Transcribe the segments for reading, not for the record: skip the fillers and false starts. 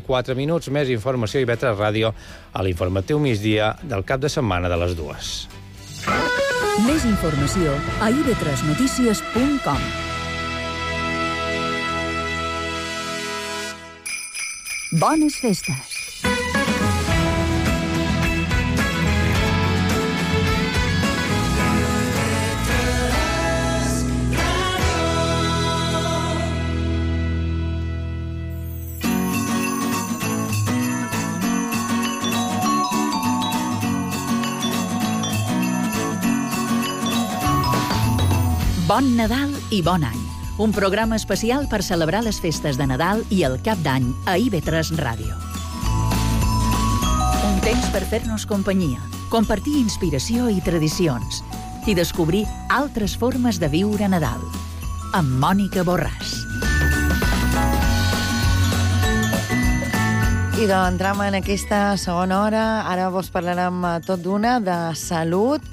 4 minuts, més informació i IB3 Ràdio a l'informatiu migdia del cap de setmana de les 2. Més informació a ib3notícies.com. Bones festes! Bon Nadal i bon any. Un programa especial per celebrar les festes de Nadal i el Cap d'Any a IB3 Ràdio. Un temps per fer-nos companyia, compartir inspiració i tradicions i descobrir altres formes de viure Nadal. Amb Mònica Borràs. I doncs entrem en aquesta segona hora. Ara vos parlarem tot d'una de salut,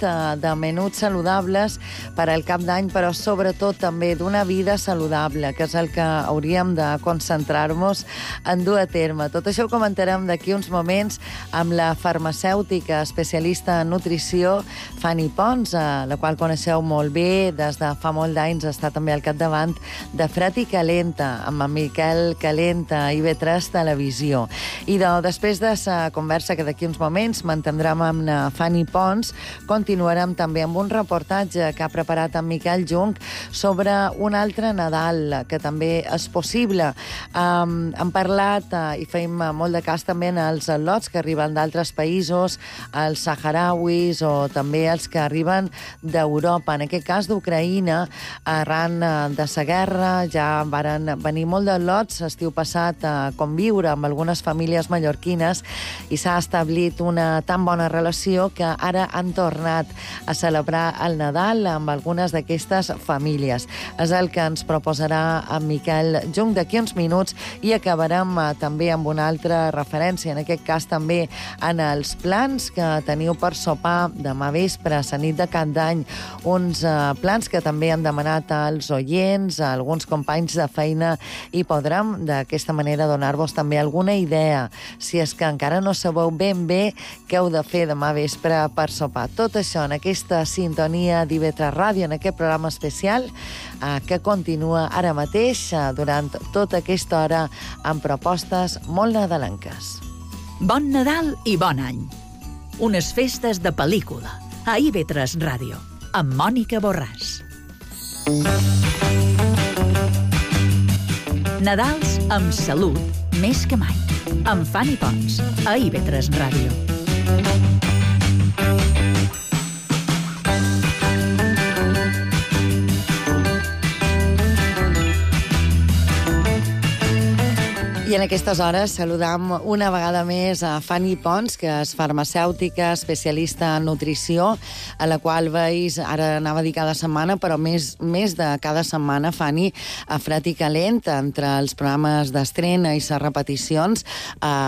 de menuts saludables per al cap d'any, però sobretot també d'una vida saludable, que és el que hauríem de concentrar-nos en dur a terme. Tot això ho comentarem d'aquí uns moments amb la farmacèutica especialista en nutrició, Fanny Pons, la qual coneixeu molt bé. Des de fa molt d'anys està també al capdavant de Fred i Calenta, amb en Miquel Calenta, a IB3 Televisió. I després de la conversa que d'aquí uns moments mantindrem amb Fanny Pons, continuarem també amb un reportatge que ha preparat en Miquel Jung sobre un altre Nadal, que també és possible. Hem parlat i feim molt de cas també en els lots que arriben d'altres països, els saharauis o també els que arriben d'Europa. En aquest cas d'Ucraïna, arran de la guerra, ja varen venir molt de lots estiu passat a conviure amb algunes famílies mallorquines i s'ha establit una tan bona relació que ara han tornat a celebrar el Nadal amb algunes d'aquestes famílies. És el que ens proposarà en Miquel Jung d'aquí uns minuts i acabarem també amb una altra referència, en aquest cas també en els plans que teniu per sopar demà vespre, a nit de Cap d'Any, uns plans que també han demanat als oients, a alguns companys de feina, i podrem d'aquesta manera donar-vos també alguna idea si és que encara no sabeu ben bé què heu de fer demà vespre per sopar. Tot això en aquesta sintonia d'IB3 Ràdio, en aquest programa especial que continua ara mateix durant tota aquesta hora amb propostes molt nadalenques. Bon Nadal i bon any. Unes festes de pel·lícula a IB3 Ràdio amb Mònica Borràs. Nadals amb salut més que mai. Amb Fanny Pons, a IB3 Ràdio. I en aquestes hores saludam una vegada més a Fanny Pons, que és farmacèutica, especialista en nutrició, a la qual veus, ara anava a dir cada setmana, però més de cada setmana, Fanny, a Fred i Calent, entre els programes d'estrena i les repeticions,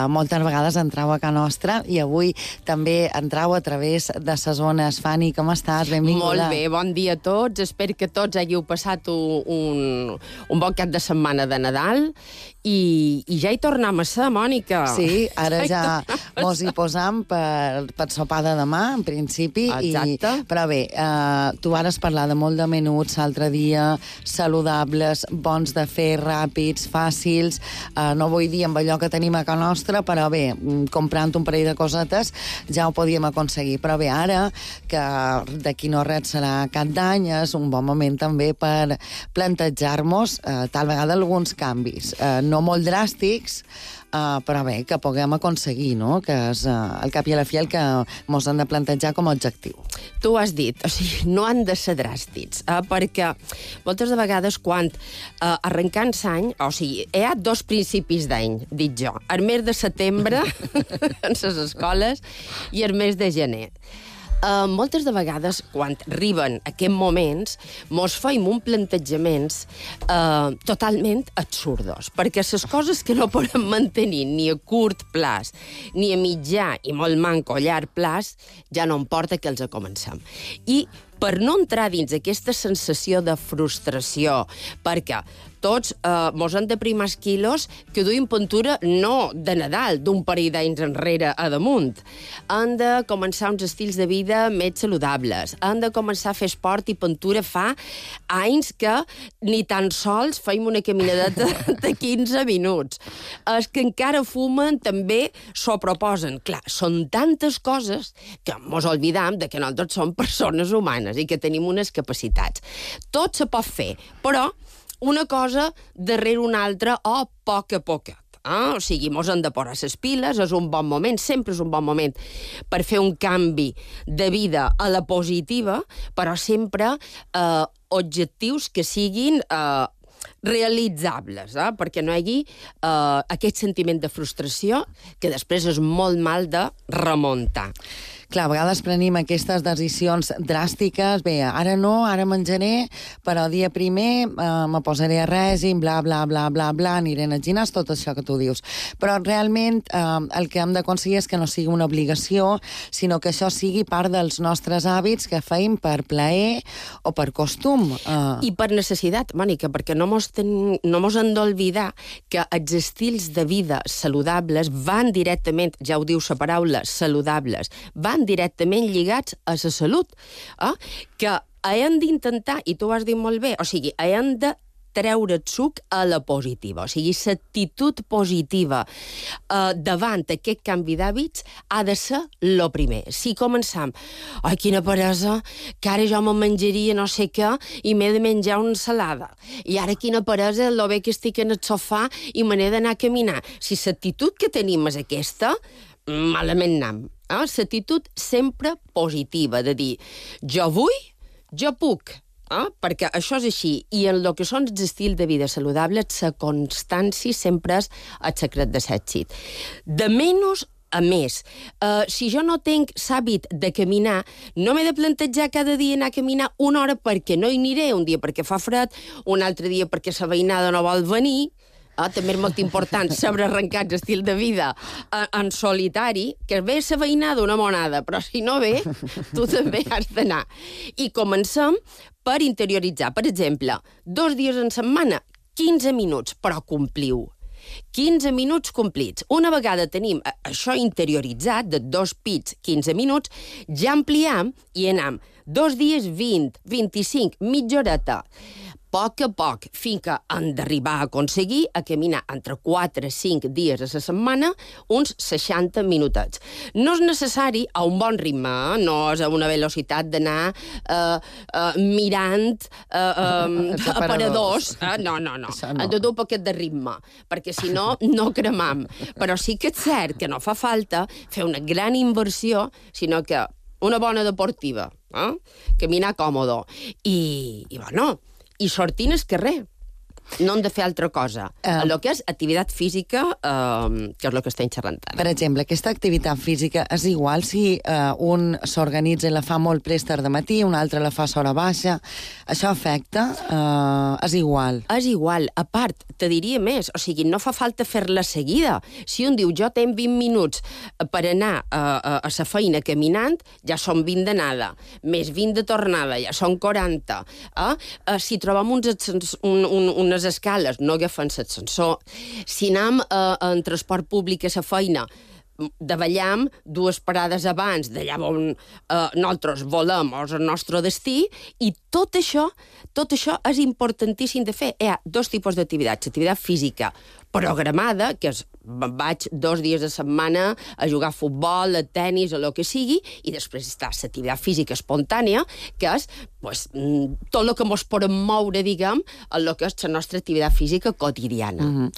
moltes vegades entrau a casa nostra i avui també entrau a través de les zones. Fanny, com estàs? Benvinguda. Molt bé, bon dia a tots. Espero que tots hàgiu passat un bon cap de setmana de Nadal i ja hi tornem a ser, Mònica. Sí, ara ja mos hi posam per sopar de demà, en principi. Exacte. Però bé, tu vares parlar de molt de menuts l'altre dia, saludables, bons de fer, ràpids, fàcils, no vull dir amb allò que tenim a casa nostra, però bé, comprant un parell de cosetes ja ho podíem aconseguir. Però bé, ara, que d'aquí no res serà Cap d'Any, és un bon moment també per plantejar-nos tal vegada alguns canvis. No molt dràstics, però bé, que puguem aconseguir, no? Que és al cap i a la fi el que mos han de plantejar com a objectiu. Tu ho has dit, o sigui, no han de ser dràstics, perquè moltes de vegades quan arrencant l'any, o sigui, hi ha 2 principis d'any, dic jo, el mes de setembre en les escoles i el mes de gener. Moltes de vegades, quan arriben aquests moments, mos feim un plantejaments totalment absurdos, perquè les coses que no podem mantenir ni a curt plaç, ni a mitjà i molt manco a llarg plaç, ja no importa que els comencem. I per no entrar dins aquesta sensació de frustració, perquè tots mos han de primar els quilos que duim pintura no de Nadal, d'un parell d'anys enrere a damunt. Han de començar uns estils de vida més saludables. Han de començar a fer esport i pintura fa anys que ni tan sols feim una caminadeta de 15 minuts. Els que encara fumen també s'ho proposen. Clar, són tantes coses que mos oblidam de que nosaltres som persones humanes i que tenim unes capacitats. Tot se pot fer, però una cosa darrere una altra o a poc a poc. O sigui, mos han de posar les piles, és un bon moment, sempre és un bon moment per fer un canvi de vida a la positiva, però sempre objectius que siguin realitzables, perquè no hi hagi aquest sentiment de frustració que després és molt mal de remuntar. Clar, a vegades prenim aquestes decisions dràstiques, bé, ara no, ara menjaré, però dia primer me posaré a règim, bla, bla, bla, bla, bla, aniré al gimnàs, tot això que tu dius. Però realment el que hem d'aconseguir és que no sigui una obligació, sinó que això sigui part dels nostres hàbits que feim per plaer o per costum. I per necessitat, Mònica, perquè no mos hem d'oblidar que els estils de vida saludables van directament, ja ho diu la paraula, saludables, van directament lligats a la salut, que hem d'intentar, i tu ho has dit molt bé, o sigui, hem de treure el suc a la positiva. O sigui, l'actitud positiva davant aquest canvi d'hàbits ha de ser el primer. Si començam, ai, quina peresa, que ara jo me menjaria no sé què i m'he de menjar una ensalada. I ara quina peresa, lo bé que estic en el sofà i me n'he d'anar a caminar. Si l'actitud que tenim és aquesta, malament anam. L'actitud sempre positiva, de dir, jo vull, jo puc, perquè això és així. I en el que són els estils de vida saludables, la constància sempre és el secret de l'èxit. De menys a més. Si jo no tinc l'hàbit de caminar, no m'he de plantejar cada dia anar a caminar una hora perquè no hi aniré, un dia perquè fa fred, un altre dia perquè la veïnada no vol venir. També és molt important saber arrencar l'estil de vida en solitari, que ve la veïnada una monada, però si no ve, tu també has d'anar. I comencem per interioritzar. Per exemple, 2 dies en setmana, 15 minuts, però compliu. 15 minuts complits. Una vegada tenim això interioritzat, de 2 pits, 15 minuts, ja ampliem i anem 2 dies 20, 25, mitja horeta. Poc a poc, fins que han d'arribar a aconseguir a caminar entre 4 i 5 dies a la setmana uns 60 minutets. No és necessari a un bon ritme, no és a una velocitat d'anar mirant aparadors. No. Han de dur un poquet de ritme, perquè si no, no cremam. Però sí que és cert que no fa falta fer una gran inversió, sinó que una bona deportiva, caminar còmodo. I bueno, i sortint al carrer. No hem de fer altra cosa. El que és activitat física, que és el que estem xerrant ara. Per exemple, aquesta activitat física és igual si un s'organitza i la fa molt prest de matí, un altre la fa a hora baixa. Això afecta? És igual? És igual. A part, te diria més. O sigui, no fa falta fer-la seguida. Si un diu, jo tenc 20 minuts per anar a la feina caminant, ja són 20 d'anada. Més 20 de tornada, ja són 40. Si trobem unes escales, no agafem l'ascensor. Si anem en transport públic a la feina, davallam 2 parades abans d'allà on nosaltres volem el nostre destí, i tot això és importantíssim de fer. Hi ha 2 tipus d'activitats. L'activitat física programada, que és vaig 2 dies a setmana a jugar a futbol, a tennis, o el que sigui, i després està l'activitat física espontània, que és tot el que ens podem moure, diguem, en el que és la nostra activitat física quotidiana.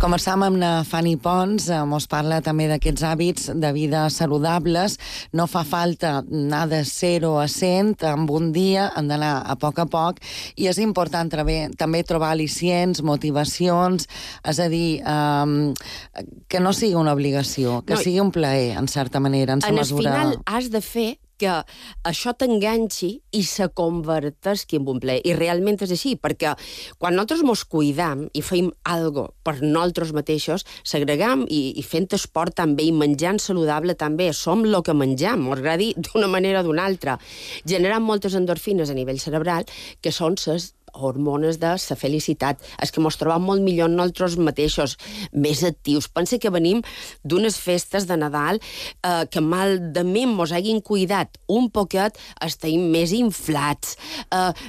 Conversàvem amb la Fanny Pons, ens parla també d'aquests hàbits de vida saludables. No fa falta anar de 0 a 100 en un dia, hem d'anar a poc, i és important també trobar al·licients, motivacions, és a dir, que no sigui una obligació, que sigui un plaer, en certa manera, en sa mesura. En el final has de fer que això t'enganxi i se converteixi en un plaer. I realment és així, perquè quan nosaltres mos cuidam i feim algo per nosaltres mateixos, s'agregam i fent esport també, i menjant saludable també, som el que menjam, mos agradi d'una manera o d'una altra, generant moltes endorfines a nivell cerebral, que són les hormones de la felicitat. És que mos trobam molt millor nosaltres mateixos, més actius. Pensa que venim d'unes festes de Nadal que malament mos hagin cuidat un poquet, estem més inflats,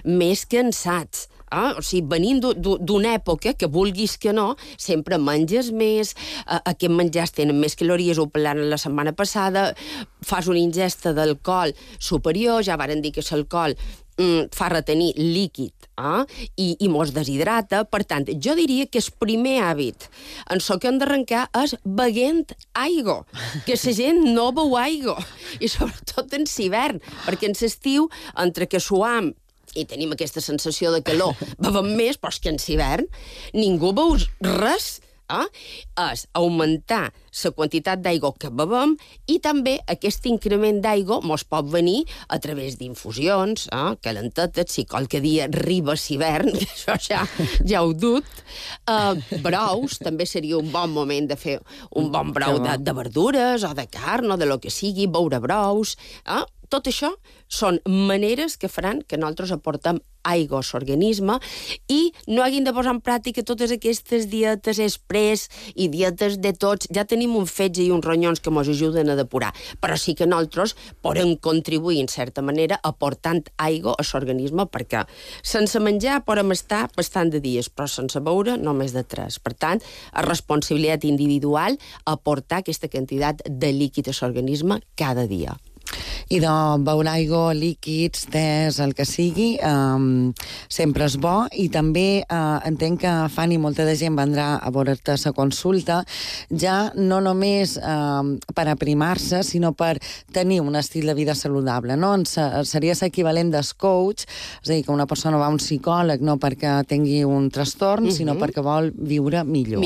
més cansats. O sigui, venint d'una època que vulguis que no, sempre menges més, aquests menjars tenen més calories, ho parlàvem la setmana passada, fas una ingesta d'alcohol superior, ja varen dir que l'alcohol fa retenir líquid i mos deshidrata. Per tant, jo diria que el primer hàbit en el que hem d'arrencar és beguent aigua, que la gent no beu aigua, i sobretot en l'hivern, perquè en l'estiu, entre que suam i tenim aquesta sensació de calor, bevem més, però és que en l'hivern ningú beu res. És augmentar la quantitat d'aigua que bevem, i també aquest increment d'aigua mos pot venir a través d'infusions, calentetes, si qualque dia arriba l'hivern, que això ja ho dut. Brous, també seria un bon moment de fer un bon brou de verdures o de carn o de lo que sigui, beure brous. Tot això són maneres que faran que nosaltres aportem aigua a l'organisme i no haguem de posar en pràctica totes aquestes dietes express i dietes de tots. Ja tenim un fetge i uns ronyons que ens ajuden a depurar, però sí que nosaltres podem contribuir, en certa manera, aportant aigua a l'organisme, perquè sense menjar podem estar bastant de dies, però sense beure només de 3. Per tant, és responsabilitat individual aportar aquesta quantitat de líquid a l'organisme cada dia. I de beure aigua, líquids, tés, el que sigui, sempre és bo, i també entenc que Fanny, molta de gent vendrà a veure-te a consulta, ja no només per aprimar-se, sinó per tenir un estil de vida saludable, no? Seria l'equivalent del coach, és a dir, que una persona va a un psicòleg no perquè tingui un trastorn, sinó perquè vol viure millor,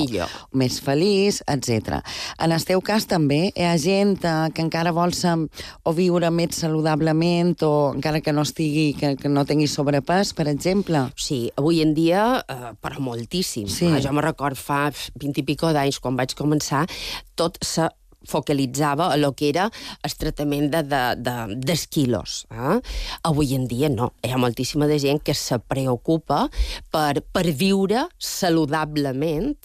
més feliç, etc. En el teu cas també hi ha gent que encara vol o viure més saludablement, o encara que no estigui, que no tingui sobrepès, per exemple? Sí, avui en dia, però moltíssim. Sí. Jo me record fa 20 i pico d'anys, quan vaig començar, tot se focalitzava a lo que era el tractament dels quilos. Avui en dia no. Hi ha moltíssima de gent que se preocupa per viure saludablement.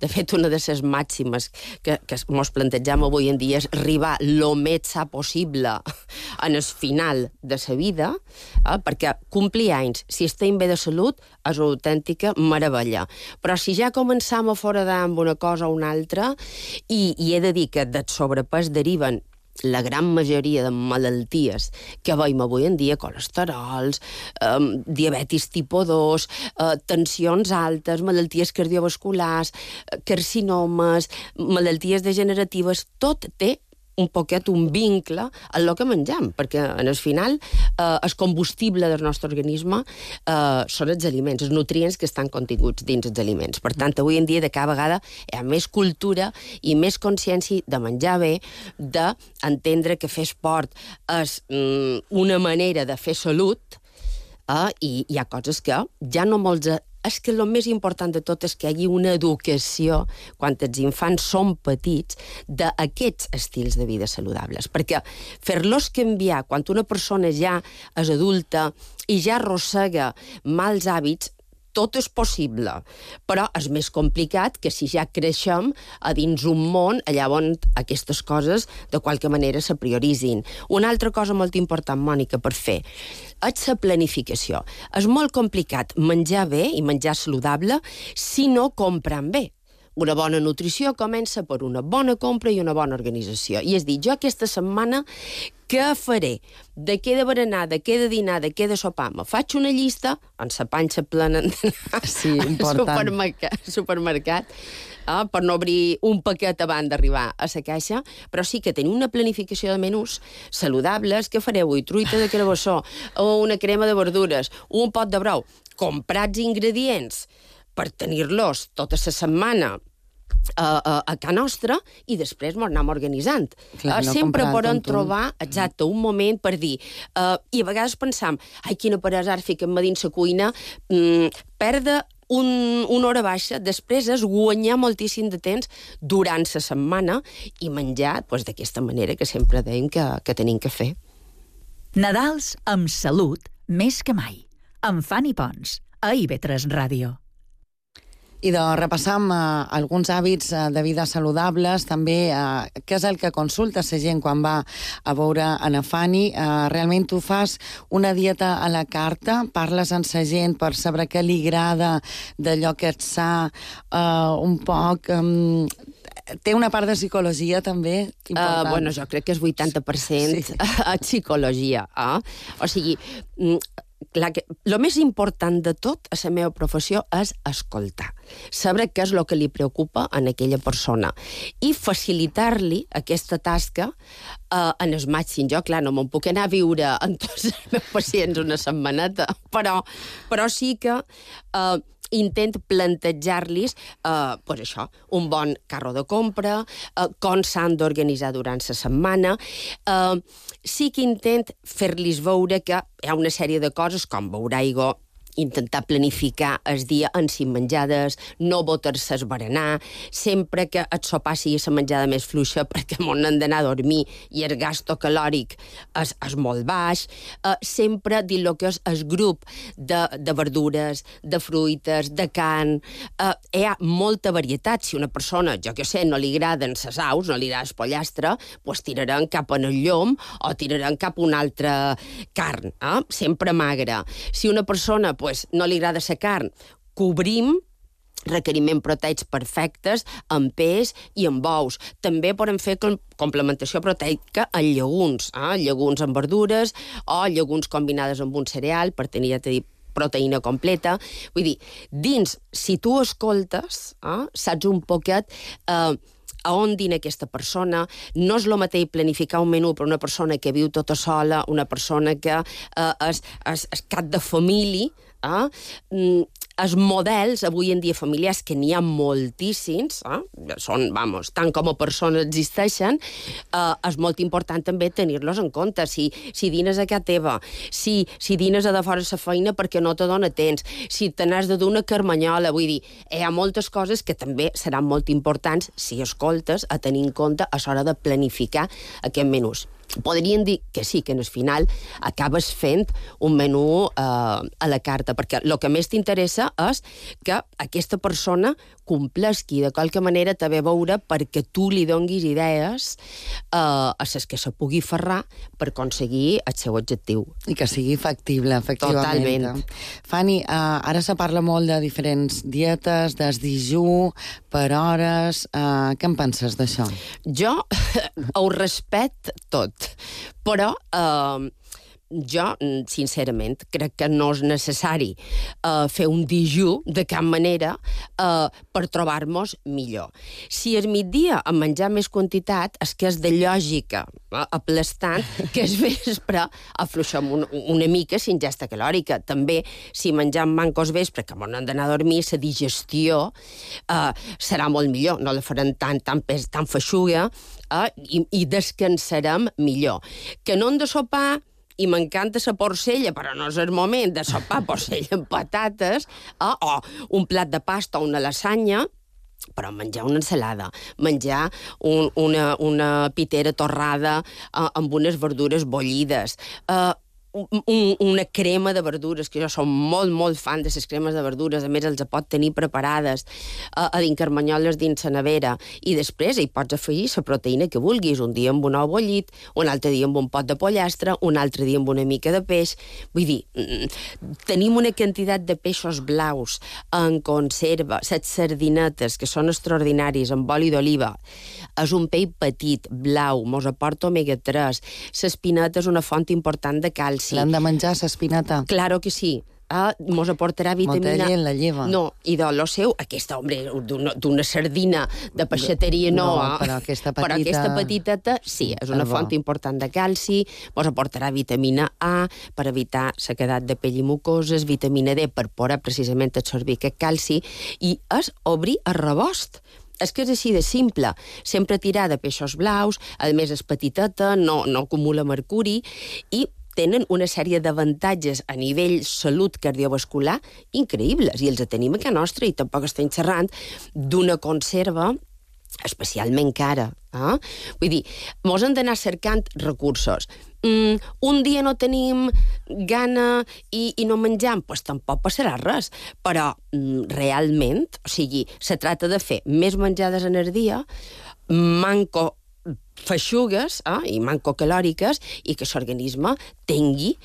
De fet, una de les màximes que ens plantegem avui en dia és arribar lo més sa possible en el final de la vida, perquè complir anys, si estem bé de salut, és una autèntica meravella. Però si ja començam a foradar amb una cosa o una altra, i he de dir que del sobrepès deriven la gran majoria de malalties que veiem avui en dia, colesterols, diabetis tipus 2, tensions altes, malalties cardiovasculars, carcinomes, malalties degeneratives, tot té un poquet un vincle en el que menjam, perquè en el final el combustible del nostre organisme són els aliments, els nutrients que estan continguts dins els aliments. Per tant, avui en dia de cada vegada hi ha més cultura i més consciència de menjar bé, d'entendre que fer esport és una manera de fer salut, i hi ha coses que ja no molts... És que el més important de tot és que hi hagi una educació, quan els infants són petits, d'aquests estils de vida saludables. Perquè fer-los canviar, quan una persona ja és adulta i ja arrossega mals hàbits, tot és possible, però és més complicat que si ja creixem a dins un món allà on aquestes coses de qualque manera se prioritzin. Una altra cosa molt important, Mònica, per fer és la planificació. És molt complicat menjar bé i menjar saludable si no comprem bé. Una bona nutrició comença per una bona compra i una bona organització. I és dir, jo aquesta setmana què faré? De què he de berenar, de què he de dinar, de què he de sopar? Me faig una llista, amb la panxa plena d'anar al supermercat, per no obrir un paquet abans d'arribar a la caixa, però sí que tenim una planificació de menús saludables. Què faré avui? Truita de carabassó, o una crema de verdures, un pot de brou. Comprats ingredients per tenir-los tota la setmana a casa nostra i després ens anem organitzant. Clar, no sempre comprar podem tonto. trobar, exacte, un moment per dir... I a vegades pensam, ai, quina peresa, ara fiquem-me dins la cuina, perdre una hora baixa, després és guanyar moltíssim de temps durant la setmana i menjar d'aquesta manera que sempre dèiem que tenim que fer. Nadals amb salut més que mai. Amb Fanny Pons, a IB3 Ràdio. I repassam alguns hàbits de vida saludables, també què és el que consulta la gent quan va a veure Ana Fanny. Realment tu fas una dieta a la carta, parles amb la gent per saber què li agrada d'allò que et sa, un poc... Té una part de psicologia, també, important. Bueno, jo crec que és 80% a psicologia. O sigui, el més important de tot a la meva professió és escoltar, saber què és el que li preocupa a aquella persona i facilitar-li aquesta tasca en el màxim. Jo, clar, no me'n puc anar a viure amb tots els meus pacients una setmaneta, però sí que intent plantejar-los això, un bon carro de compra, com s'han d'organitzar durant la setmana. Sí que intent fer-los veure que hi ha una sèrie de coses, com beure aigua, intentar planificar el dia en 5 menjades, no botar-se a berenar, sempre que el sopar sigui la menjada més fluixa perquè m'on hem d'anar a dormir i el gasto calòric és molt baix, sempre dir el que és el grup de verdures, de fruites, de carn. Hi ha molta varietat. Si una persona, jo què sé, no li agraden les aus, no li agrada el pollastre, doncs tiraran cap en el llom o tiraran cap a una altra carn, sempre magra. Si una persona no li agrada la carn, cobrim requeriment proteics perfectes amb peix i amb ous. També podem fer complementació proteica en llegums, llegums amb verdures o llegums combinades amb un cereal per tenir, ja t'he dit, proteïna completa. Vull dir, si tu escoltes, saps un poquet a on dina aquesta persona. No és el mateix planificar un menú per una persona que viu tota sola, una persona que és cap de família. Els models, avui en dia familiars, que n'hi ha moltíssims, són, tant com a persones existeixen, és molt important també tenir-los en compte. Si dines a casa teva, si dines a de fora la feina perquè no te dona temps, si te n'has de dur una carmanyola, vull dir, hi ha moltes coses que també seran molt importants si escoltes a tenir en compte a l'hora de planificar aquests menús. Podríem dir que sí, que en el final acabes fent un menú a la carta, perquè el que més t'interessa és que aquesta persona complesqui de qualque manera també veure perquè tu li donguis idees a les que se pugui ferrar per aconseguir el seu objectiu. I que sigui factible, efectivament. Totalment. Fanny, ara se parla molt de diferents dietes, del dijú, per hores. Què en penses d'això? Jo ho respecto tot, però jo, sincerament, crec que no és necessari fer un dijú de cap manera per trobar-nos millor. Si al migdia a menjar més quantitat és que és de lògica aplastant que es vespre afluixem una mica la ingesta calòrica. També, si mengem mancos vespre, que m'on hem d'anar a dormir, la digestió serà molt millor, no la farem tan feixuga i descansarem millor. Que no hem de sopar i m'encanta la porcella, però no és el moment de sopar porcella amb patates, o un plat de pasta o una lasanya, però menjar una ensalada, menjar una pitera torrada amb unes verdures bullides, una crema de verdures, que jo som molt fan de les cremes de verdures, a més els pot tenir preparades a dins carmanyoles dins la nevera, i després hi pots afegir la proteïna que vulguis, un dia amb un ou bullit, un altre dia amb un pot de pollastre, un altre dia amb una mica de peix. Vull dir, tenim una quantitat de peixos blaus en conserva, les sardinetes, que són extraordinaris, amb oli d'oliva, és un peix petit, blau, mos aporta omega-3, l'espineta és una font important de calci. L'han de menjar, l'espinata? Claro que sí. Mos aportarà vitamina... Molta gent la lleva. No, i de lo seu, aquesta, d'una sardina de peixateria no, però aquesta petita... Però aquesta petiteta, sí, és una font important de calci, mos aportarà vitamina A per evitar sequedat de pell i mucoses, vitamina D per poder precisament absorbir aquest calci, i és obrir el rebost és que és així de simple. Sempre tirar de peixos blaus, a més és petiteta, no acumula mercuri, i tenen una sèrie d'avantatges a nivell salut cardiovascular increïbles, i els tenim a casa nostra, i tampoc estem xerrant d'una conserva especialment cara. Vull dir, mos hem d'anar cercant recursos. Un dia no tenim gana i no menjam, doncs tampoc passarà res. Però realment, o sigui, se tracta de fer més menjades en el dia, manco feixugues i mancocalòriques, i que l'organisme tingui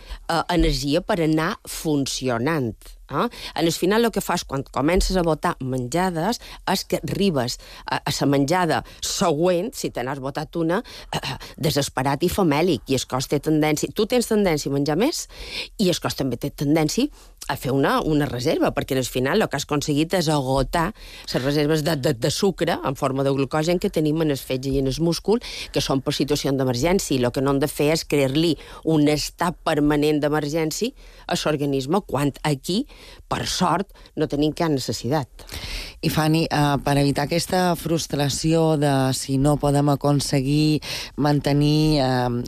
energia per anar funcionant. En el final el que fas quan comences a botar menjades és que arribes a la menjada següent, si te n'has botat una, desesperat i famèlic, i el cos té tendència... Tu tens tendència a menjar més, i el cos també té tendència a fer una reserva, perquè al final el que has aconseguit és agotar les reserves de sucre en forma de glucogen que tenim en el fetge i en el múscul, que són per situació d'emergència, i el que no hem de fer és crear-li un estat permanent d'emergència a l'organisme, quan aquí, per sort, no tenim cap necessitat. I Fanny, per evitar aquesta frustració de si no podem aconseguir mantenir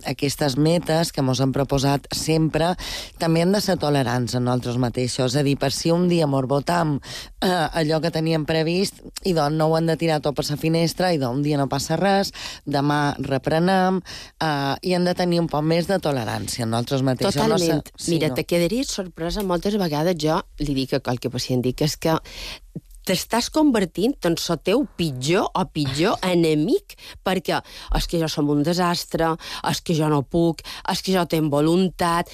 aquestes metes que ens hem proposat sempre, també hem de ser tolerants a nosaltres mateixos. És a dir, per si un dia mos botam allò que teníem previst, i doncs no ho hem de tirar tot per la finestra, i doncs un dia no passa res, demà reprenem, i hem de tenir un poc més de tolerància a nosaltres mateixos. Totalment. Sí, mira, te quedaries sorpresa moltes vegades. Jo li dic a qualque pacient, dic, és que t'estàs convertint en el teu pitjor o pitjor enemic, perquè és que jo som un desastre, és que jo no puc, és que jo tenc voluntat.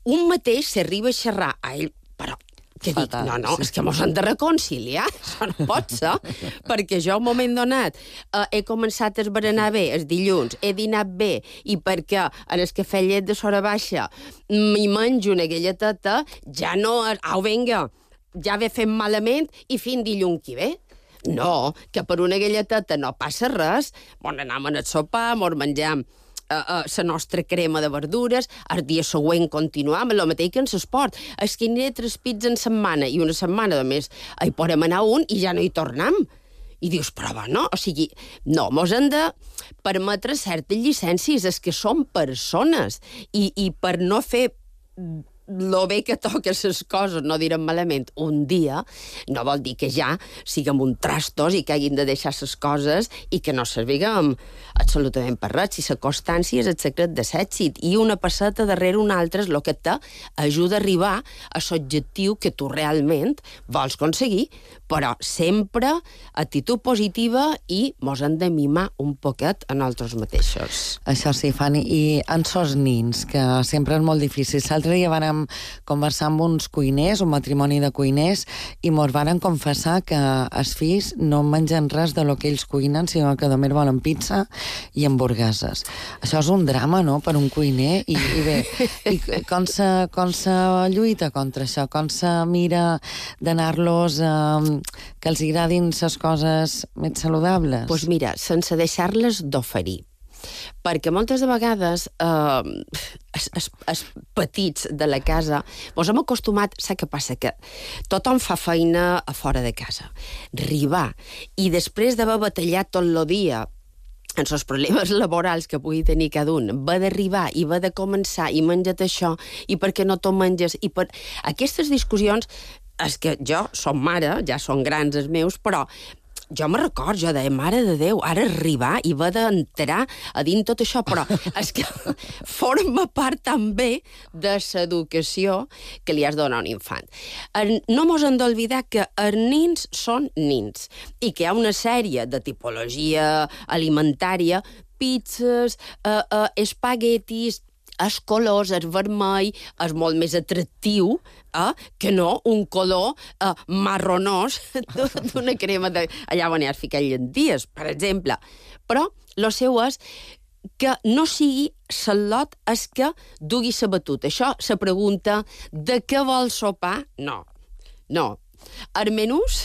Un mateix s'arriba a xerrar a ell, però que dic, no, és que mos hem de reconciliar, això no pot ser, perquè jo, un moment donat, he començat a esberenar bé els dilluns, he dinat bé, i perquè en el cafè llet de sora baixa m'hi menjo una galleteta, ja no... Au, vinga, ja ve fent malament i fins dilluns que ve. No, que per una galleteta no passa res. Bon, anem al sopar, mos menjam la nostra crema de verdures, el dia següent continuam, el mateix que en l'esport. És que aniré 3 pits en setmana, i una setmana, només, hi podem anar un i ja no hi tornem. I dius, però no, o sigui, no, mos hem de permetre certes llicències, és que som persones, i per no fer lo bé que toca les coses, no direm malament, un dia, no vol dir que ja siguem un trastos i que hagin de deixar les coses i que no serviguem absolutament per res. Si la constància és el secret de l'èxit, i una passeta darrere una altra és el que t'ajuda a arribar a l'objectiu que tu realment vols aconseguir, però sempre actitud positiva, i mos hem de mimar un poquet a nosaltres mateixos. Això sí, Fanny, i en sos nins, que sempre és molt difícil. L'altre dia vàrem conversar amb uns cuiners, un matrimoni de cuiners, i mos varen confessar que els fills no mengen res de lo que ells cuinen, sinó que només volen pizza i hamburgueses. Això és un drama, no?, per un cuiner, i bé, i com se lluita contra això? Com se mira d'anar-los que els agradin les coses més saludables? Doncs mira, sense deixar-les d'oferir. Perquè moltes de vegades els petits de la casa ens hem acostumat, saps què passa? Que tothom fa feina a fora de casa. Arribar, i després d'haver batallat tot el dia en els problemes laborals que pugui tenir cada un, va d'arribar i va de començar, i menja't això, i per què no t'ho menges, i per... Aquestes discussions, és que jo som mare, ja són grans els meus, però jo me record, jo deia, mare de Déu, ara arribar i va d'entrar a dins tot això, però és que forma part també de l'educació que li has de donar a un infant. No mos hem d'oblidar que els nins són nins, i que hi ha una sèrie de tipologia alimentària, pizzas, espaguetis, els colors, el vermell, és molt més atractiu que no un color marronós d'una crema allà on has ficat llenties, per exemple. Però el seu és que no sigui l'ot és que dugui la batuta. Això, la pregunta de què vol sopar, no. Els menús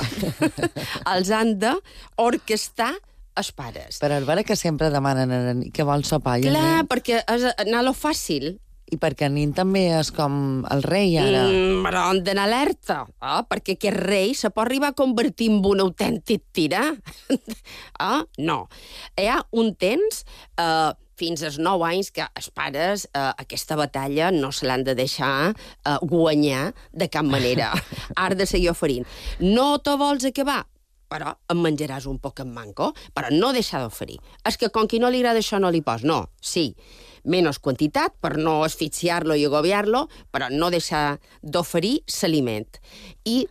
els han d'orquestar els pares. Per veure que sempre demanen què vol sopar. Clar, perquè és anar a lo fàcil. I perquè el nin també és com el rei, ara. Però han d'anar alerta, perquè aquest rei se pot arribar a convertir en un autèntic tirà. No. Hi ha un temps, fins als 9 anys, que els pares aquesta batalla no se l'han de deixar guanyar de cap manera. Has de seguir oferint. No te vols acabar? Però em menjaràs un poc en manco, però no deixar d'oferir. És que com qui no li agrada això no li pos. No, sí, menys quantitat per no asfixiar-lo i agobiar-lo, però no deixar d'oferir l'aliment. I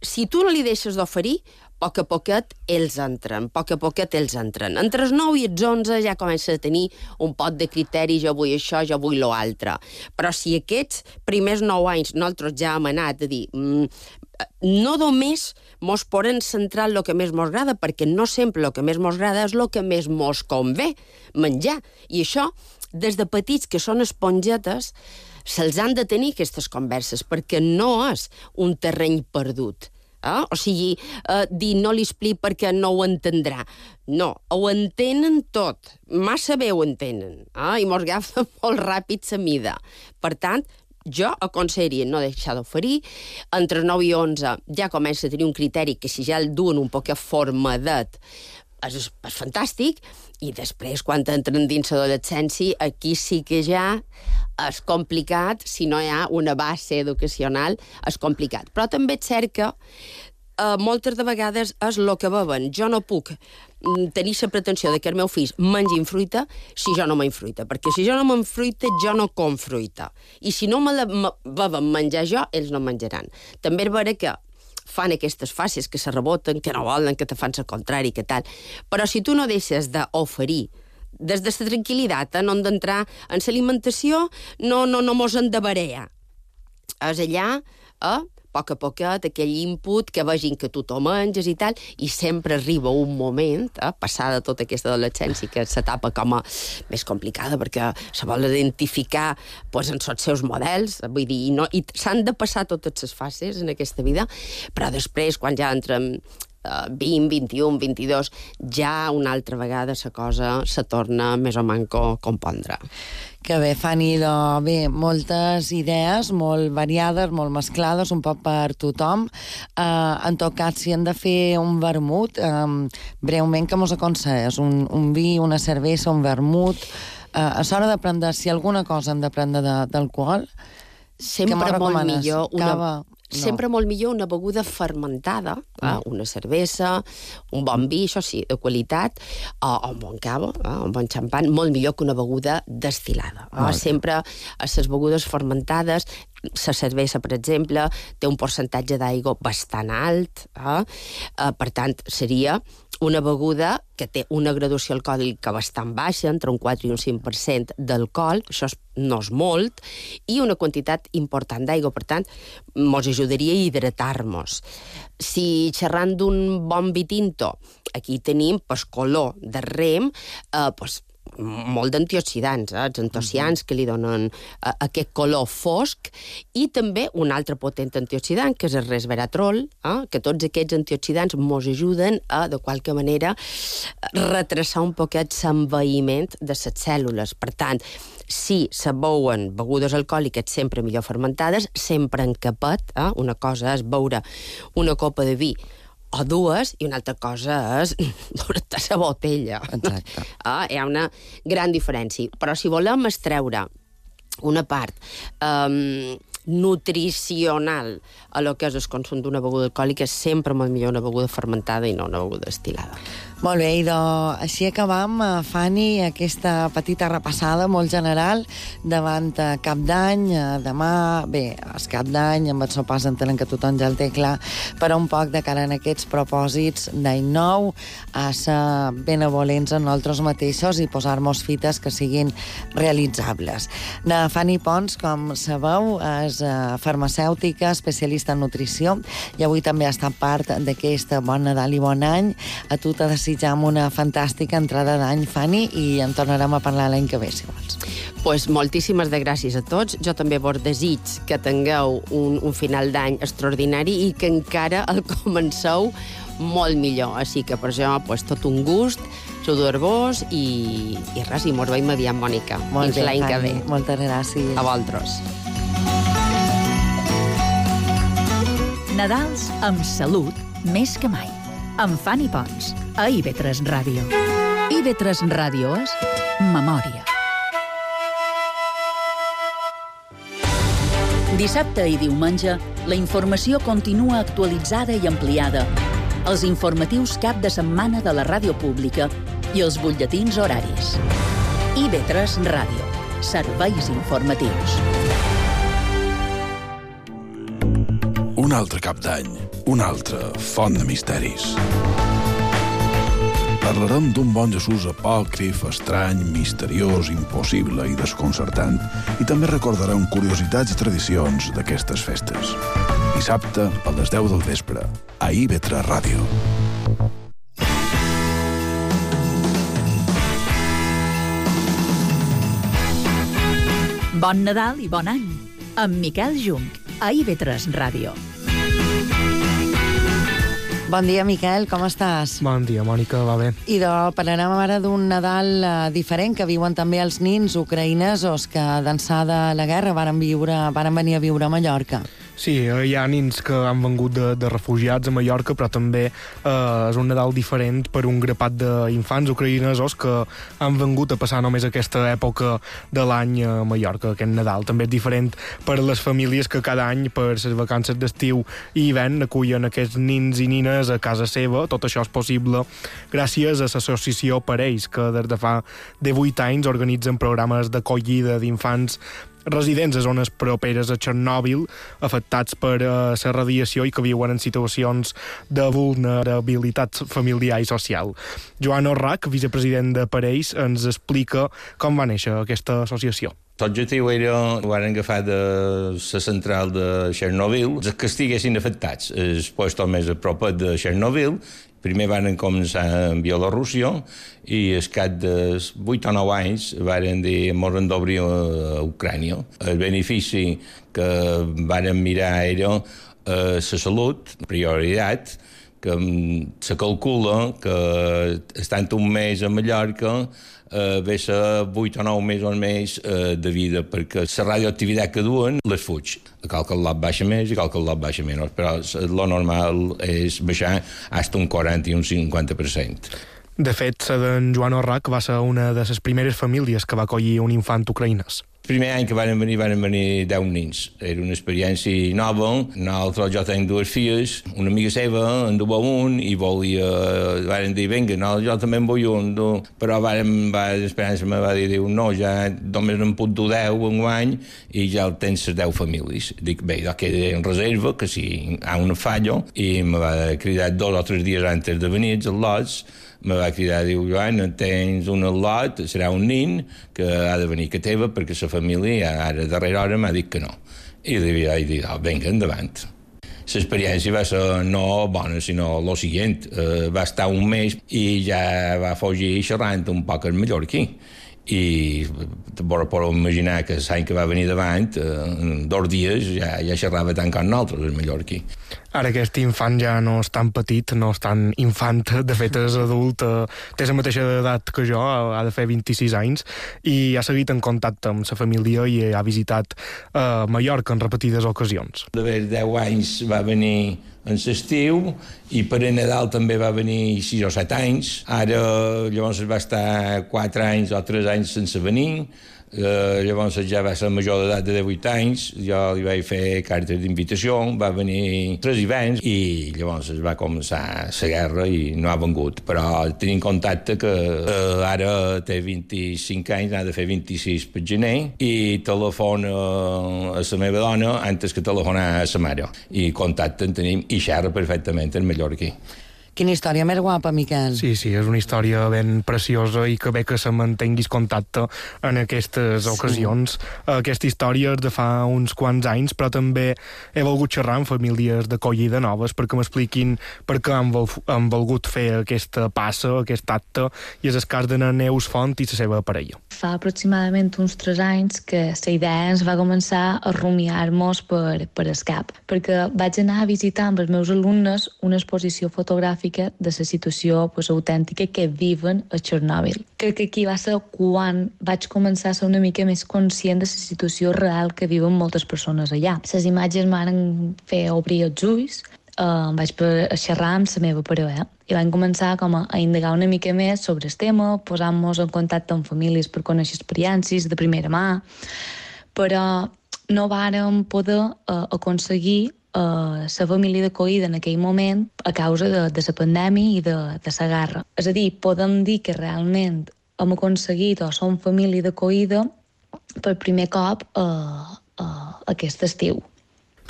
si tu no li deixes d'oferir, a poquet ells entren, a poquet ells entren. Entre els 9 i els 11 ja comença a tenir un pot de criteri, jo vull això, jo vull l'altre. Però si aquests primers 9 anys nosaltres ja hem anat a dir no només mos podem centrar en el que més mos agrada, perquè no sempre el que més mos agrada és el que més mos convé menjar. I això, des de petits, que són espongetes, se'ls han de tenir aquestes converses, perquè no és un terreny perdut. O sigui, dir no li explico perquè no ho entendrà. No, ho entenen tot. Massa bé ho entenen. I mos agafa molt ràpid la mida. Per tant, jo aconsellaria no deixar d'oferir. Entre 9 i 11 ja comença a tenir un criteri que si ja el duen un poc formadet és fantàstic, i després, quan entren dins l'adolescència, aquí sí que ja és complicat, si no hi ha una base educacional, és complicat. Però també és cert que moltes de vegades és el que beuen. Jo no puc tenir la pretensió que els meus fills mengin fruita si jo no menjo fruita, perquè si jo no menjo fruita, jo no com fruita. I si no me la beuen menjar jo, ells no menjaran. També és vera que fan aquestes fases que se reboten, que no volen, que te fan el contrari, que tal. Però si tu no deixes d'oferir des de la tranquil·litat, no hem d'entrar en l'alimentació, no mos en de barea. És allà, a poquet, aquell input, que vegin que tu t'ho menges i tal, i sempre arriba un moment, passada tota aquesta adolescència, que s'etapa com a més complicada, perquè se vol identificar en els seus models, vull dir, i s'han de passar totes les fases en aquesta vida, però després, quan ja entrem 20, 21, 22, ja una altra vegada la cosa se torna més o manco compondre. Que bé, Fanny, bé, moltes idees, molt variades, molt mesclades, un poc per tothom. En tot cas, si hem de fer un vermut, breument, que mos aconselles? Un vi, una cervesa, un vermut? A l'hora de prendre, si alguna cosa hem de prendre d'alcohol, sempre molt millor Cava? Sempre molt millor una beguda fermentada, una cervesa, un bon vi, això sí, de qualitat, o un bon cava, un bon xampan, molt millor que una beguda destil·lada. Sempre a les begudes fermentades, la cervesa, per exemple, té un percentatge d'aigua bastant alt, per tant, seria una beguda que té una graduació alcohòlica bastant baixa, entre un 4 i un 5% d'alcohol, això no és molt, i una quantitat important d'aigua. Per tant, mos ajudaria a hidratar-nos. Si xerrant d'un bon vi tinto, aquí tenim color de rem, molt d'antioxidants, els antocians que li donen aquest color fosc, i també un altre potent antioxidant, que és el resveratrol, que tots aquests antioxidants mos ajuden a, de qualque manera, retrasar un poquet l'envaïment de les cèl·lules. Per tant, si se beuen begudes alcohòliques sempre millor fermentades, sempre en capet, una cosa és beure una copa de vi o dues, i una altra cosa és beure-te la botella. Exacte. Hi ha una gran diferència. Però si volem extreure una part nutricional a lo que és el consum d'una beguda alcohòlica, és sempre molt millor una beguda fermentada i no una beguda destil·lada. Molt bé, i així acabam, Fanny, aquesta petita repassada molt general davant Cap d'Any. Demà, bé, és Cap d'Any, amb el sopars entenem que tothom ja el té clar, però un poc de cara en aquests propòsits d'any nou, a ser benevolents en nosaltres mateixos i posar-nos fites que siguin realitzables. La Fanny Pons, com sabeu, és farmacèutica, especialista en nutrició, i avui també ha estat part d'aquest Bon Nadal i Bon Any. A tu t'ha desitjam una fantàstica entrada d'any, Fanny, i en tornarem a parlar l'any que ve, si vols. Pues moltíssimes de gràcies a tots. Jo també vos desig que tingueu un final d'any extraordinari i que encara el comenceu molt millor. Així que per això, pues, tot un gust Xudo Arbós i res, i mos veiem aviat, Mònica. Molt Fins bé, l'any que ve. Fanny. Moltes gràcies. A vosaltres. Nadals amb salut més que mai. Amb Fanny Pons, a IB3 Ràdio. IB3 Ràdio és memòria. Dissabte i diumenge, la informació continua actualitzada i ampliada. Els informatius cap de setmana de la ràdio pública i els butlletins horaris. IB3 Ràdio. Serveis informatius. Un altre cap d'any, una altra font de misteris. Parlarem d'un bon Jesús apòcrif, estrany, misteriós, impossible i desconcertant, i també recordarem curiositats i tradicions d'aquestes festes. Dissabte, a les 10 del vespre, a IB3 Ràdio. Bon Nadal i bon any. Amb Miquel Junc, a IB3 Ràdio. Bon dia, Miquel, com estàs? Bon dia, Mònica, va bé. I parlarem ara d'un Nadal diferent que viuen també els nins ucraïnesos que d'ençà de la guerra varen venir a viure a Mallorca. Sí, hi ha nins que han vengut de refugiats a Mallorca, però també és un Nadal diferent per un grapat d'infants ucraïnesos que han vengut a passar només aquesta època de l'any a Mallorca, aquest Nadal. També és diferent per les famílies que cada any, per les vacances d'estiu i hivern, acullen aquests nins i nines a casa seva. Tot això és possible gràcies a l'associació Parells, que des de fa 18 anys organitzen programes d'acollida d'infants residents a zones properes a Txernòbil, afectats per la radiació i que viuen en situacions de vulnerabilitat familiar i social. Joan Orrach, vicepresident de Parells, ens explica com va néixer aquesta associació. L'objectiu era, ho van agafar de la central de Txernòbil, que estiguessin afectats. El lloc més a prop de Txernòbil. Primer van començar en Bielorússia i al cap de 8 o 9 anys van dir que ens d'obrir a Ucrània. El benefici que van mirar era la salut, prioritat, que se calcula que estant un mes a Mallorca ve ser 8 o 9 mesos més de vida, perquè la radioactivitat que duen les fuig. Qualque lot baixa més i qualque lot baixa menys, però lo normal és baixar fins un 40 i un 50%. De fet, la d'en Joan Orrach va ser una de les primeres famílies que va acollir un infant ucraïnès. El primer any que van venir 10 nins. Era una experiència nova. Nosaltres, jo tenc 2 filles, una amiga seva en duia un i volia... Van dir, vinga, no, jo també en vull un. Però l'Esperança me va dir, no, ja només en puc dur 10 en guany i ja tens les 10 famílies. Dic, bé, jo queda en reserva, que si hi ha un fallo, i me va cridar 2 o 3 dies antes de venir els lots. Me va cridar, diu, Joan, tens un lot, serà un nin que ha de venir que teva perquè la família ara darrera hora m'ha dit que no. I li vaig dir, vinga, endavant. L'experiència va ser no bona, sinó el següent. Va estar un mes i ja va fugir xerrant un poc el mallorquí. I podeu imaginar que l'any que va venir davant, en 2 dies ja xerrava tant com nosaltres, el mallorquí. Ara aquest infant ja no és tan petit, no és tan infant, de fet és adult, té la mateixa edat que jo, ha de fer 26 anys, i ha seguit en contacte amb la família i ha visitat Mallorca en repetides ocasions. D'haver 10 anys va venir en l'estiu i per a Nadal també va venir 6 o 7 anys. Ara llavors va estar 4 anys o 3 anys sense venir. Llavors ja va ser major d'edat de 18 anys, jo li vaig fer cartes d'invitació, va venir 3 hiverns i llavors va començar la guerra i no ha vengut, però tenim contacte que ara té 25 anys, ha de fer 26 per gener i telefona a la meva dona antes que telefonar a la mare i contacte en tenim i xerra perfectament en mallorquí. Quina història més guapa, Miquel. Sí, és una història ben preciosa i que bé que se mantinguis contacte en aquestes ocasions. Aquesta història és de fa uns quants anys, però també he volgut xerrar amb famílies d'acollida noves perquè m'expliquin per què han volgut fer aquesta passa, aquest acte, i és el cas de Neus Font i la seva parella. Fa aproximadament uns 3 anys que la idea ens va començar a rumiar-nos per el cap, perquè vaig anar a visitar amb els meus alumnes una exposició fotogràfica mica de la situació autèntica que viven a Chernobyl. Crec que aquí va ser quan vaig començar a ser una mica més conscient de la situació real que viuen moltes persones allà. Les imatges m'han fet obrir els ulls, vaig xerrar amb la meva parella i vam començar a indagar una mica més sobre el tema, posant-nos en contacte amb famílies per conèixer experiències de primera mà, però no vàrem poder aconseguir la família d'acollida en aquell moment a causa de la pandèmia i de la guerra. És a dir, podem dir que realment hem aconseguit o som família d'acollida per primer cop aquest estiu.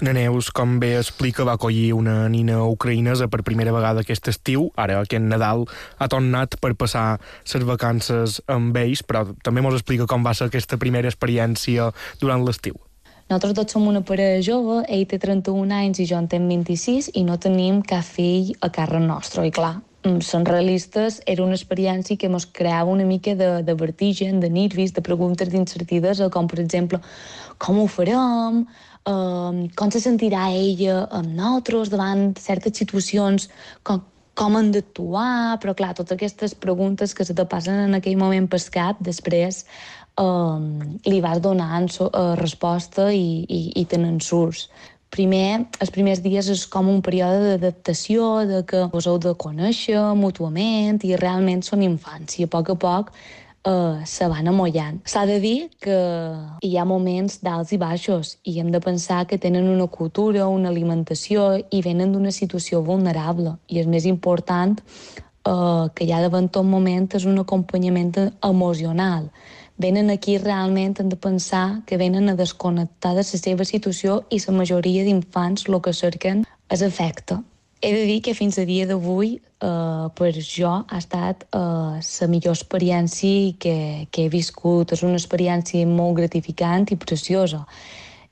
Na Neus, com bé explica, va acollir una nina ucraïnesa per primera vegada aquest estiu. Ara, aquest Nadal, ha tornat per passar les vacances amb ells, però també mos explica com va ser aquesta primera experiència durant l'estiu. Nosaltres tots som una parella jove, ell té 31 anys i jo en tenc 26, i no tenim cap fill a càrrec nostre. I clar, sent realistes, era una experiència que ens creava una mica de vertigen, de nervis, de preguntes d'incertesa, com per exemple, com ho farem? Com se sentirà ella amb nosaltres davant certes situacions, com hem d'actuar, però clar, totes aquestes preguntes que se te passen en aquell moment pel cap, després li vas donant resposta i tenen surts. Primer, els primers dies és com un període d'adaptació, de que us heu de conèixer mútuament i realment són infants i a poc se van amollant. S'ha de dir que hi ha moments d'alts i baixos i hem de pensar que tenen una cultura, una alimentació i venen d'una situació vulnerable i el més important que hi ha davant tot moment és un acompanyament emocional. Venen aquí realment, hem de pensar que venen a desconnectar de la seva situació i la majoria d'infants el que cerquen és afecte. He de dir que fins a dia d'avui per jo ha estat la millor experiència que he viscut. És una experiència molt gratificant i preciosa.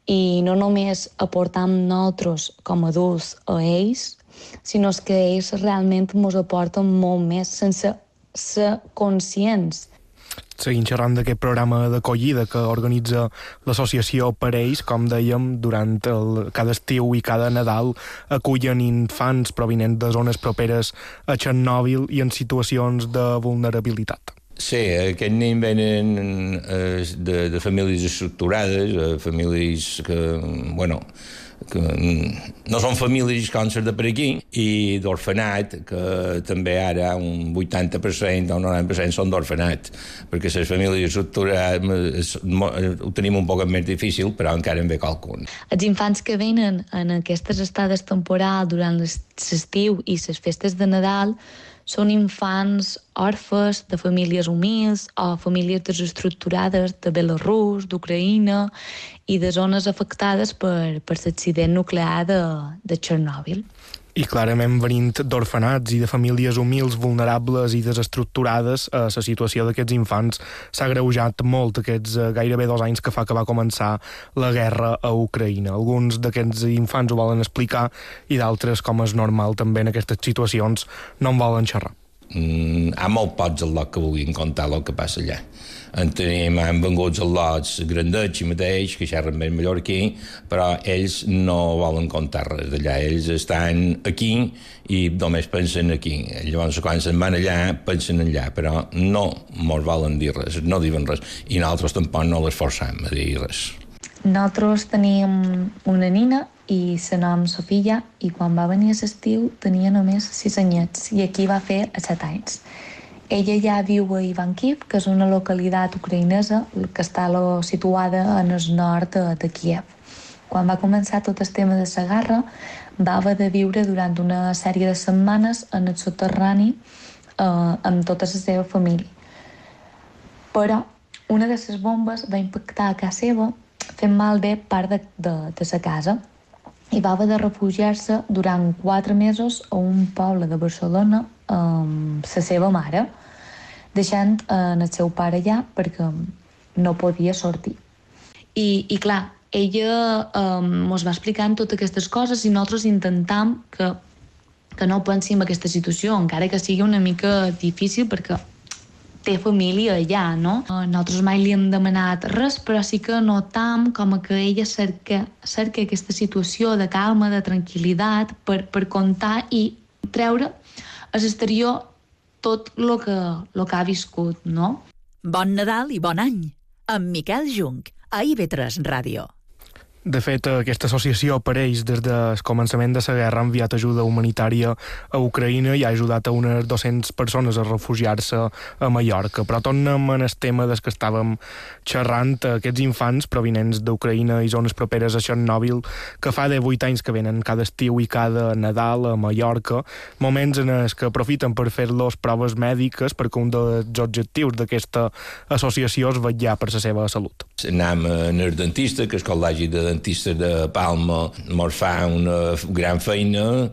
I no només aportam nosaltres com a adults a ells, sinó que ells realment ens aporten molt més sense ser conscients. Seguint xerrant d'aquest programa d'acollida que organitza l'associació per ells, com dèiem, durant cada estiu i cada Nadal acullen infants provinents de zones properes a Chernobyl i en situacions de vulnerabilitat. Sí, aquests nens venen de famílies estructurades, famílies que no són famílies com les de per aquí, i d'orfenat, que també ara un 80% o un 90% són d'orfenat, perquè les famílies estructurades ho tenim un poc més difícil, però encara en ve qualcun. Els infants que venen en aquestes estades temporals durant l'estiu i les festes de Nadal són infants orfes de famílies humils o famílies desestructurades de Belarus, d'Ucraïna i de zones afectades per l'accident nuclear de Chernobyl. I clarament venint d'orfenats i de famílies humils, vulnerables i desestructurades, la situació d'aquests infants s'ha agreujat molt aquests gairebé 2 anys que fa que va començar la guerra a Ucraïna. Alguns d'aquests infants ho volen explicar i d'altres, com és normal també en aquestes situacions, no en volen xerrar. Hi ha molt pocs al·lots que vulguin contar el que passa allà. Han vengut al·lots grandets i mateix, que xerren més mallorquí, però ells no volen contar res d'allà. Ells estan aquí i només pensen aquí. Llavors, quan se'n van allà, pensen allà, però no mos volen dir res, no diuen res. I nosaltres tampoc no les forçam a dir res. Nosaltres teníem una nina i la nom Sofia, i quan va venir a l'estiu tenia només 6 anyets i aquí va fer 7 anys. Ella ja viu a Ivankiv, que és una localitat ucraïnesa que està situada en el nord de Kiev. Quan va començar tot el tema de la guerra, va haver de viure durant una sèrie de setmanes en el soterrani amb tota la seva família. Però una de les bombes va impactar a casa seva, fent malbé part de la casa, i va haver de refugiar-se durant 4 mesos a un poble de Barcelona amb la seva mare, deixant el seu pare allà perquè no podia sortir. I clar, ella ens va explicant totes aquestes coses i nosaltres intentam que no pensi en aquesta situació, encara que sigui una mica difícil perquè té família allà, no? Nosaltres mai li hem demanat res, però sí que notam com que ella cerca aquesta situació de calma, de tranquil·litat, per contar i treure a l'exterior tot el que ha viscut, no? Bon Nadal i bon any, amb Miquel Junc, a IB3 Ràdio. De fet, aquesta associació apareix des del començament de la guerra, ha enviat ajuda humanitària a Ucraïna i ha ajudat a unes 200 persones a refugiar-se a Mallorca. Però tornem en el tema des que estàvem xerrant, aquests infants provinents d'Ucraïna i zones properes a Chernobyl, que fa 18 anys que venen cada estiu i cada Nadal a Mallorca, moments en els que aprofiten per fer-los proves mèdiques, perquè un dels objectius d'aquesta associació és vetllar per la seva salut. Anem al dentista, que el col·legi de dentistes de Palma mos fa una gran feina,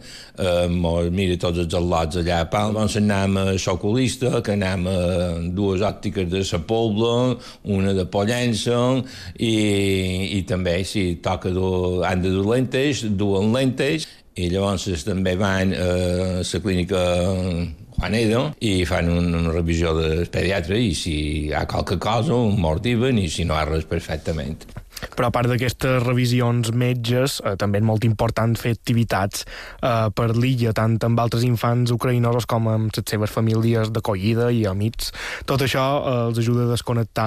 mos mira tots els al·lots allà a Palma. Llavors anem a l'oculista, que anem a dues òptiques de la Pobla, una de Pollença, i també, si toca, han de dur lentes, duen lentes, i llavors també van a la clínica Juaneda i fan una revisió del pediatre i si hi ha qualque cosa, un mordiven, i si no hi ha res, perfectament. Però a part d'aquestes revisions metges, també és molt important fer activitats per l'illa, tant amb altres infants ucraïnosos com amb les seves famílies d'acollida i amics. Tot això els ajuda a desconnectar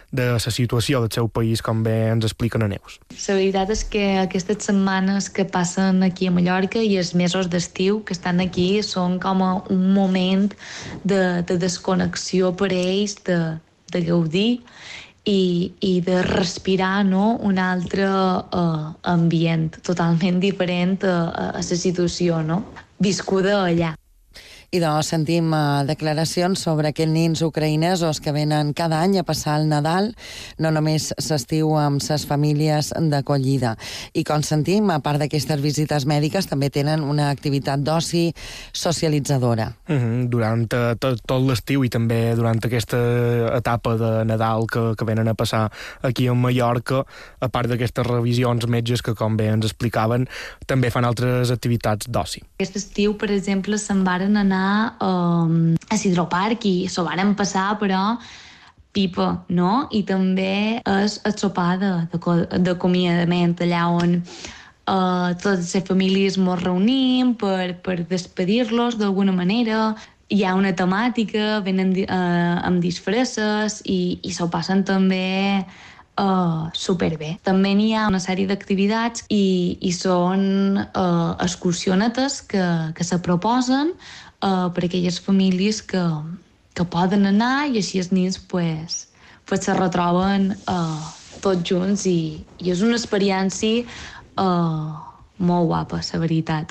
de la situació del seu país, com bé ens expliquen a Neus. La veritat és que aquestes setmanes que passen aquí a Mallorca i els mesos d'estiu que estan aquí són com un moment de desconnexió per ells, de gaudir i de respirar, no?, un altre ambient totalment diferent a la situació, no?, viscuda allà. I doncs sentim declaracions sobre aquests nins ucraïnesos que venen cada any a passar el Nadal, no només s'estiu amb ses famílies d'acollida. I com sentim, a part d'aquestes visites mèdiques, també tenen una activitat d'oci socialitzadora. Durant tot l'estiu i també durant aquesta etapa de Nadal que venen a passar aquí a Mallorca, a part d'aquestes revisions metges que, com bé ens explicaven, també fan altres activitats d'oci. Aquest estiu, per exemple, se'n varen anar a Hidroparc i s'ho varen passar, però pipa, no? I també és el sopar d'acomiadament, allà on totes les famílies ens reunim per despedir-los d'alguna manera. Hi ha una temàtica, venen amb disfresses i s'ho passen també superbé. També n'hi ha una sèrie d'activitats i són excursionetes que se proposen per a aquelles famílies que poden anar i així els nens pues se retroben tots junts i és una experiència molt guapa, la veritat.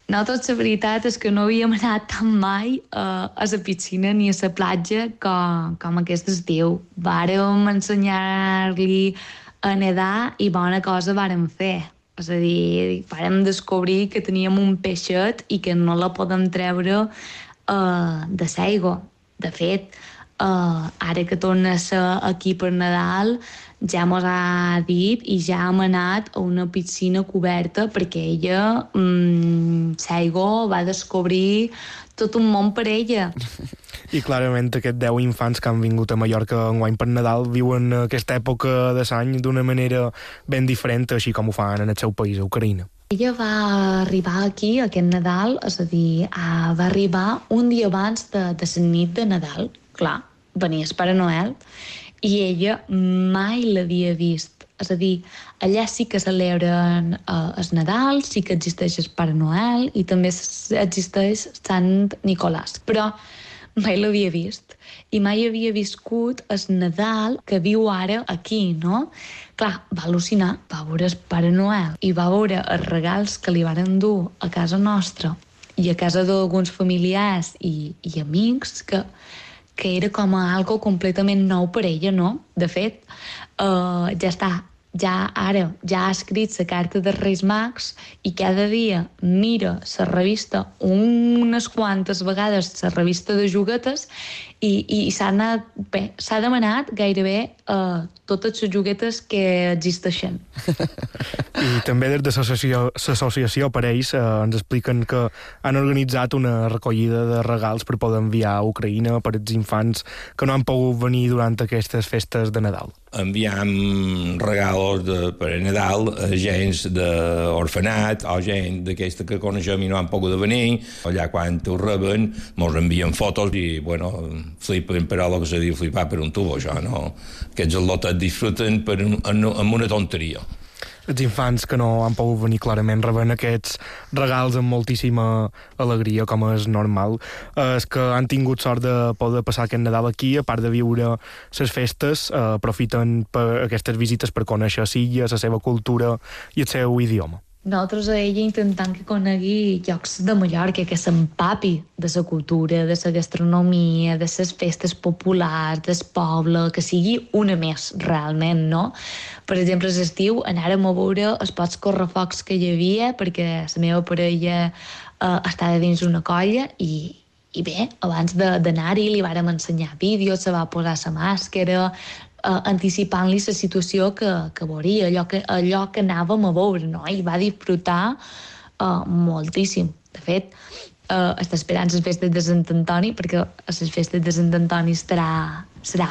Nosaltres, la veritat és que no havíem anat tan mai a la piscina ni a la platja com aquest estiu. Vàrem ensenyar-li a nedar i bona cosa vàrem fer. És a dir, vàrem descobrir que teníem un peixet i que no la podem treure de l'aigua. De fet, ara que torna a ser aquí per Nadal, ja mos ha dit i ja hem anat a una piscina coberta perquè ella, l'aigua, va descobrir tot un món per ella. I clarament aquests 10 infants que han vingut a Mallorca enguany per Nadal viuen aquesta època de l'any d'una manera ben diferent, així com ho fan en el seu país, a Ucraïna. Ella va arribar aquí aquest Nadal, és a dir, va arribar un dia abans de la nit de Nadal. Clar, venia el Pare Noel i ella mai l'havia vist. És a dir, allà sí que celebren el Nadal, sí que existeix el Pare Noel i també existeix Sant Nicolàs. Però mai l'havia vist i mai havia viscut el Nadal que viu ara aquí, no? Clar, va al·lucinar, va veure el Pare Noel i va veure els regals que li varen dur a casa nostra i a casa d'alguns familiars i amics que era com algo completament nou per ella, no? De fet, ja està, ja ha escrit la carta dels Reis Mags i cada dia mira la revista unes quantes vegades, la revista de juguetes, i s'ha demanat gairebé totes les juguetes que existeixen. I també des de l'associació per ells ens expliquen que han organitzat una recollida de regals per poder enviar a Ucraïna per als infants que no han pogut venir durant aquestes festes de Nadal. Enviam regals per a Nadal a gent d'orfenat o gent d'aquesta que coneixem i no han pogut venir. Allà quan ho reben mos envien fotos i, bueno, flipen per allò que se diu flipar per un tubo, això, no? Aquests al·lotes disfruten amb una tonteria. Els infants que no han pogut venir clarament reben aquests regals amb moltíssima alegria, com és normal. Els que han tingut sort de poder passar aquest Nadal aquí, a part de viure les festes, aprofiten per aquestes visites per conèixer l'illa, la seva cultura i el seu idioma. Nosaltres a ella intentant que conegui llocs de Mallorca, que s'empapi de la cultura, de la gastronomia, de les festes populars, del poble, que sigui una més, realment, no? Per exemple, a l'estiu anàrem a veure els pocs correfocs que hi havia, perquè la meva parella estava dins una colla i bé, abans d'anar-hi li vàrem ensenyar vídeos, se va posar la màscara, anticipant-li la situació que veuria, allò que anàvem a veure, no? I va disfrutar moltíssim. De fet, està esperant les festes de Sant Antoni, perquè les festes de Sant Antoni serà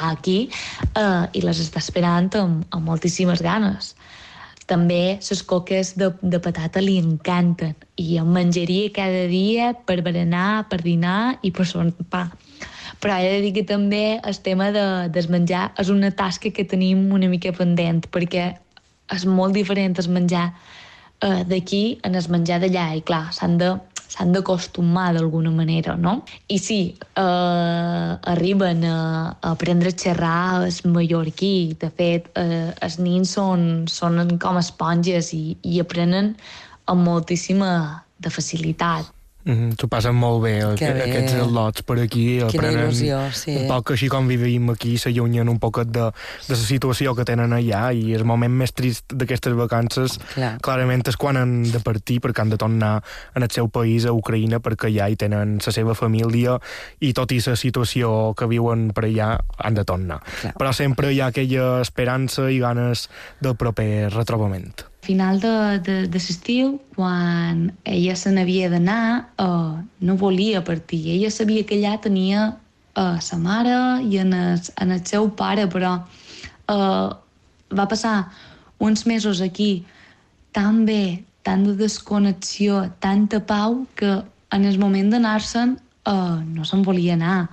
aquí, i les està esperant amb moltíssimes ganes. També les coques de patata li encanten, i en menjaria cada dia per berenar, per dinar i per sopar. Però he de dir que també el tema del menjar és una tasca que tenim una mica pendent, perquè és molt diferent el menjar d'aquí en el menjar d'allà, i clar, s'han d'acostumar d'alguna manera, no? I sí, arriben a aprendre a xerrar el mallorquí. De fet, els nins són com esponges i aprenen amb moltíssima de facilitat. S'ho passen molt bé, aquests al·lots per aquí, aprenen un poc així com vivim aquí, s'allunyen un poquet de la situació que tenen allà, i el moment més trist d'aquestes vacances clarament és quan han de partir, perquè han de tornar en el seu país, a Ucraïna, perquè allà hi tenen la seva família i tot i la situació que viuen per allà han de tornar. Però sempre hi ha aquella esperança i ganes del proper retrobament. Final de l'estiu, quan ella se n'havia d'anar, no volia partir. Ella sabia que allà tenia sa mare i en el seu pare, però va passar uns mesos aquí tan bé, tant de desconnexió, tanta pau, que en el moment d'anar-se'n no se'n volia anar.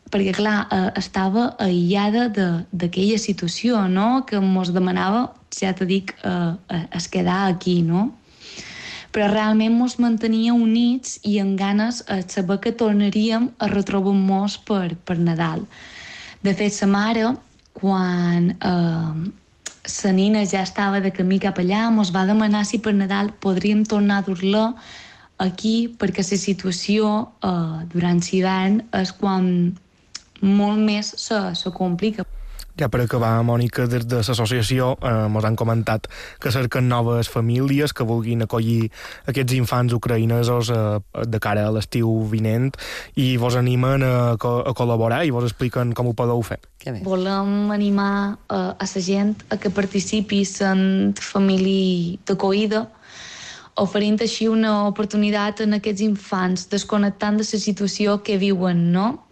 Perquè, clar, estava aïllada d'aquella situació, no?, que mos demanava, ja t'ho dic, es quedar aquí, no? Però realment mos mantenia units i amb ganes de saber que tornaríem a retrobar-nos per Nadal. De fet, sa mare, quan sa nina ja estava de camí cap allà, mos va demanar si per Nadal podríem tornar a dur-la aquí, perquè la situació durant l'hivern és quan molt més se complica. Ja per acabar, Mònica, des de l'associació ens han comentat que cerquen noves famílies que vulguin acollir aquests infants ucraïnesos de cara a l'estiu vinent, i vos animen a col·laborar i vos expliquen com ho podeu fer. Volem animar a la gent a que participi en família d'acollida, oferint així una oportunitat en aquests infants, desconnectant de la situació que viuen, no?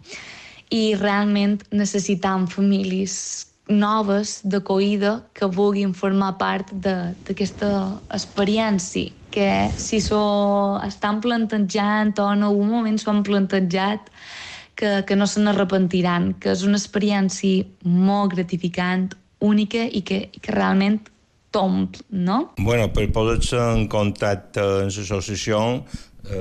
I realment necessitam famílies noves d'acollida que vulguin formar part d'aquesta experiència, que si estan plantejant o en algun moment s'ho han plantejat, que no se n'arrepentiran, que és una experiència molt gratificant, única i que realment t'omple, no? Bueno, per posar-se en contacte amb l'associació,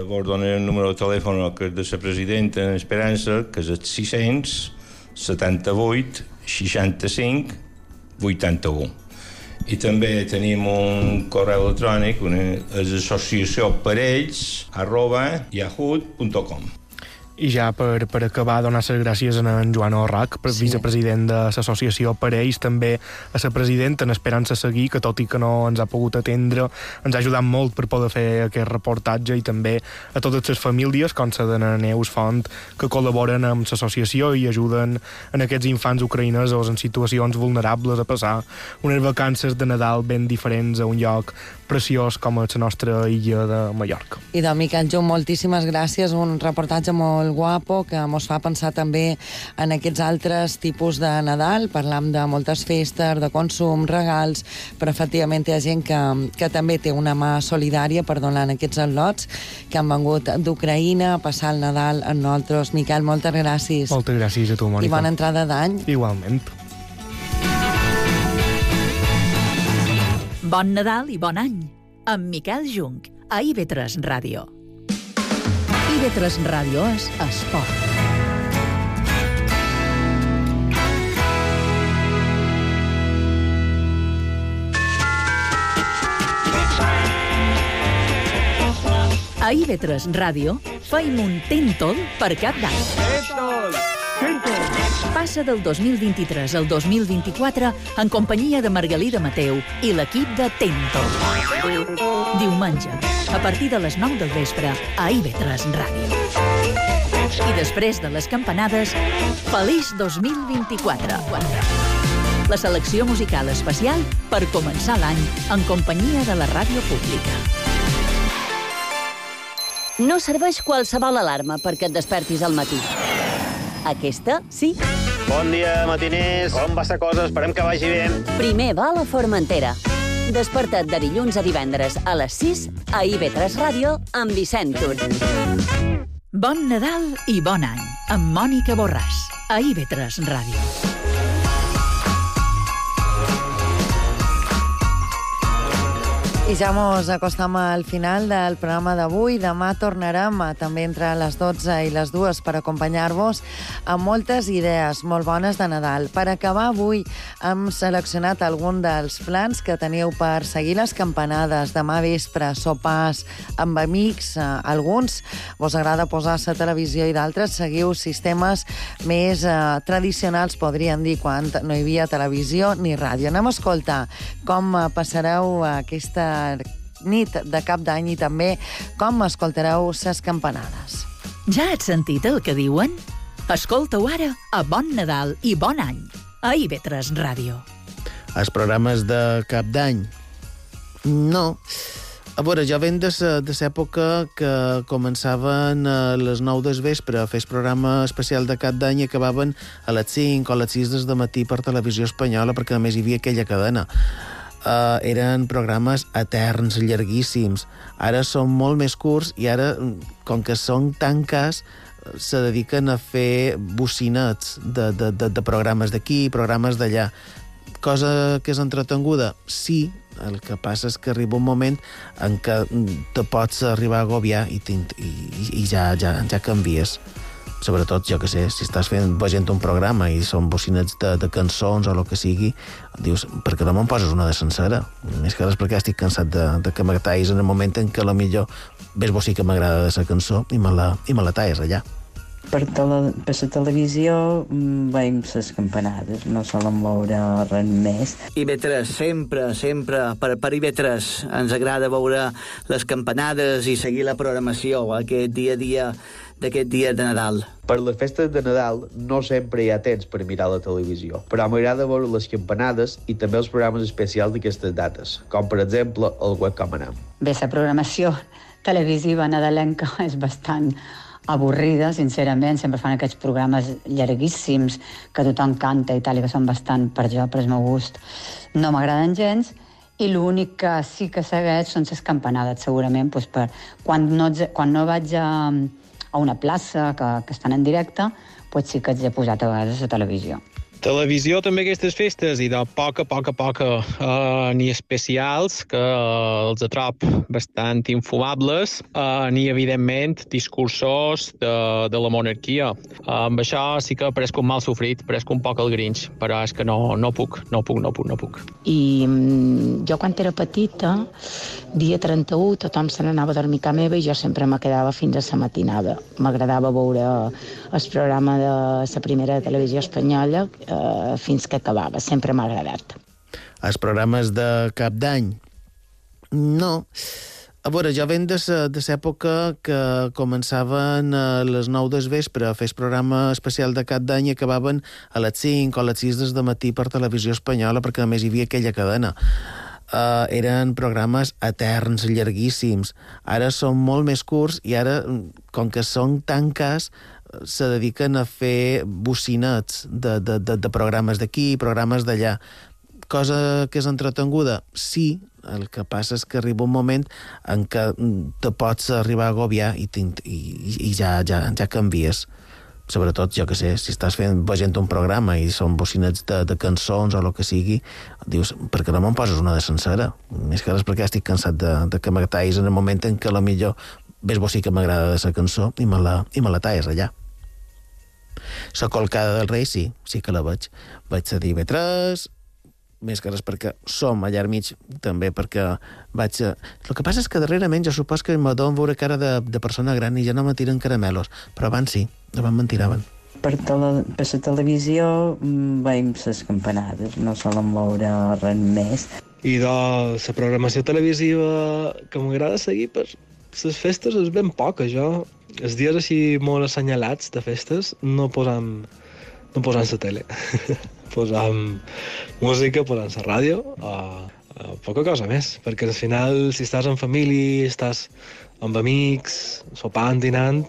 vos donaré el número de telèfon que és de la presidenta en Esperança, que és el 678 65 81. I també tenim un correu electrònic, és associacióparells@yahoo.com. I ja per acabar, donar les gràcies a en Joan Orrac, vicepresident de l'associació Parells, també a la presidenta, en Esperança Seguí, que tot i que no ens ha pogut atendre, ens ha ajudat molt per poder fer aquest reportatge, i també a totes les famílies, com la de Neus Font, que col·laboren amb l'associació i ajuden en aquests infants ucraïnesos en situacions vulnerables a passar unes vacances de Nadal ben diferents a un lloc preciós com és la nostra illa de Mallorca. I de Miquel Jung, moltíssimes gràcies, un reportatge molt guapo que mos fa pensar també en aquests altres tipus de Nadal. Parlam de moltes festes, de consum, regals, però efectivament hi ha gent que també té una mà solidària per donar aquests al·lots que han vengut d'Ucraïna a passar el Nadal amb nosaltres. Miquel, moltes gràcies. Moltes gràcies a tu, Mònica. I bona entrada d'any. Igualment. Bon Nadal i bon any, amb Miquel Jung, a IB3 Ràdio. IB3 Ràdio és esport. A IB3 Ràdio feim un Tentol per cap d'any. Passa del 2023 al 2024 en companyia de Margalida Mateu i l'equip de Tentol. Diumenge, a partir de les 9 del vespre, a IB3 Ràdio. I després de les campanades, feliç 2024. La selecció musical especial per començar l'any en companyia de la ràdio pública. No serveix qualsevol alarma perquè et despertis al matí. Aquesta, sí. Bon dia, matiners. Com va la cosa? Esperem que vagi bé. Primer va a la Formentera. Desperta't de dilluns a divendres a les 6 a IB3 Ràdio amb Vicent Tur. Bon Nadal i bon any amb Mònica Borràs a IB3 Ràdio. I ja mos acostam al final del programa d'avui. Demà tornarem també entre les 12 i les 2 per acompanyar-vos amb moltes idees molt bones de Nadal. Per acabar avui hem seleccionat algun dels plans que teniu per seguir les campanades. Demà vespre, sopars amb amics, alguns vos agrada posar la televisió i d'altres seguiu sistemes més tradicionals, podríem dir, quan no hi havia televisió ni ràdio. Anem a escoltar com passareu aquesta nit de cap d'any i també com escoltareu ses campanades. Ja has sentit el que diuen? Escolta-ho ara a Bon Nadal i Bon Any a IB3 Ràdio. Els programes de cap d'any? No. A veure, jo venc de l'època que començaven a les 9 del vespre a fer el programa especial de cap d'any i acabaven a les 5 o a les 6 del matí per Televisió Espanyola, perquè només hi havia aquella cadena. Eren programes eterns, llarguíssims. Ara són molt més curts i ara, com que són tan cars, se dediquen a fer bocinets de programes d'aquí, programes d'allà. Cosa que és entretenguda? Sí, el que passa és que arriba un moment en què te pots arribar a agobiar i ja canvies. Sobretot, jo que sé, si estàs veient un programa i són bocinets de cançons o el que sigui, dius, per què no me'n poses una de sencera? Més que res perquè estic cansat de que m'atallis en el moment en què potser ves vos sí que m'agrada de la cançó i me la talles allà. Per la televisió veiem les campanades, no solen veure res més. IB3, sempre, per IB3 ens agrada veure les campanades i seguir la programació aquest dia a dia d'aquest dia de Nadal. Per les festes de Nadal no sempre hi ha temps per mirar la televisió, però m'agrada veure les campanades i també els programes especials d'aquestes dates, com per exemple el Webcam Anam. Bé, la programació televisiva nadalenca és bastant avorrida, sincerament. Sempre fan aquests programes llarguíssims que tothom canta i tal, i que són bastant, per el meu gust, no m'agraden gens. I l'únic que sí que segueix són les campanades, segurament, doncs quan no vaig a una plaça que estan en directe, doncs sí que els he posat a vegades a la televisió. Televisió també aquestes festes i de poca, ni especials que els atrop bastant infumables, ni evidentment discursos de la monarquia. Amb això sí que pareix un mal sofrit, pareix un poc el Grinch, però és que no puc. I jo quan era petita, dia 31, tothom se n'anava a dormir a casa meva i jo sempre me quedava fins a la matinada. M'agradava veure el programa de la primera televisió espanyola fins que acabava. Sempre m'ha agradat. Els programes de Cap d'Any? No. A veure, jo venc de l'època que començaven a les 9 del vespre a fer el programa especial de Cap d'Any i acabaven a les 5 o a les 6 del matí per Televisió Espanyola, perquè a més hi havia aquella cadena. Eren programes eterns, llarguíssims. Ara són molt més curts i ara, com que són tan cars, se dediquen a fer bocinets de programes d'aquí i programes d'allà. Cosa que és entretenguda? Sí, el que passa és que arriba un moment en què te pots arribar a agobiar i ja canvies. Sobretot, jo que sé, si estàs veient un programa i són bocinets de cançons o el que sigui, dius, per què no me'n poses una de sencera? Més que res perquè estic cansat de que me tallis en el moment en què potser ves bo sí que m'agrada de la cançó i me la talles allà. La colcada del rei, sí que la veig. Vaig a dir TV3, més que res perquè som allà al mig, també perquè vaig a... El que passa és que darrerament jo supos que m'adono veure cara de persona gran i ja no me tiren caramelos, però abans sí, abans me'n tiraven. Per la televisió veiem les campanades, no solen veure res més. I de la programació televisiva que m'agrada seguir per les festes és ben poca, jo. Els dies així molt assenyalats de festes no posam la tele. Posam música, posam la ràdio, poca cosa més, perquè al final si estàs en família, estàs amb amics, sopant, dinant,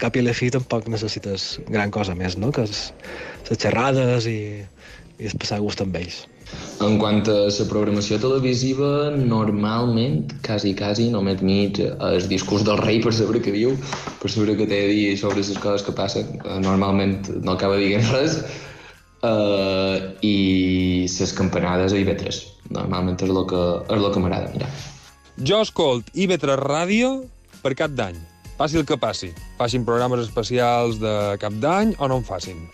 cap i a la fi tampoc necessites gran cosa més, no? Que les xerrades i es passar gust amb ells. En quant a la programació televisiva, normalment, quasi, no m'admit el discurs del rei per saber què diu, per saber què té a dir sobre les coses que passen. Normalment no acaba dient res. I les campanades a IB3. Normalment és el que m'agrada mirar. Jo escolt IB3 Ràdio per Cap d'Any. Passi el que passi. Facin programes especials de Cap d'Any o no en facin.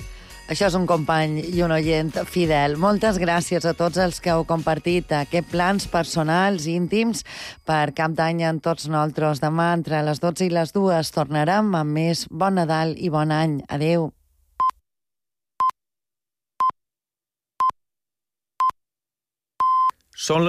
Això és un company i un oient fidel. Moltes gràcies a tots els que heu compartit aquests plans personals i íntims per Cap d'Any amb tots nosaltres. Demà, entre les 12 i les 2, tornarem amb més Bon Nadal i bon any. Adéu. Són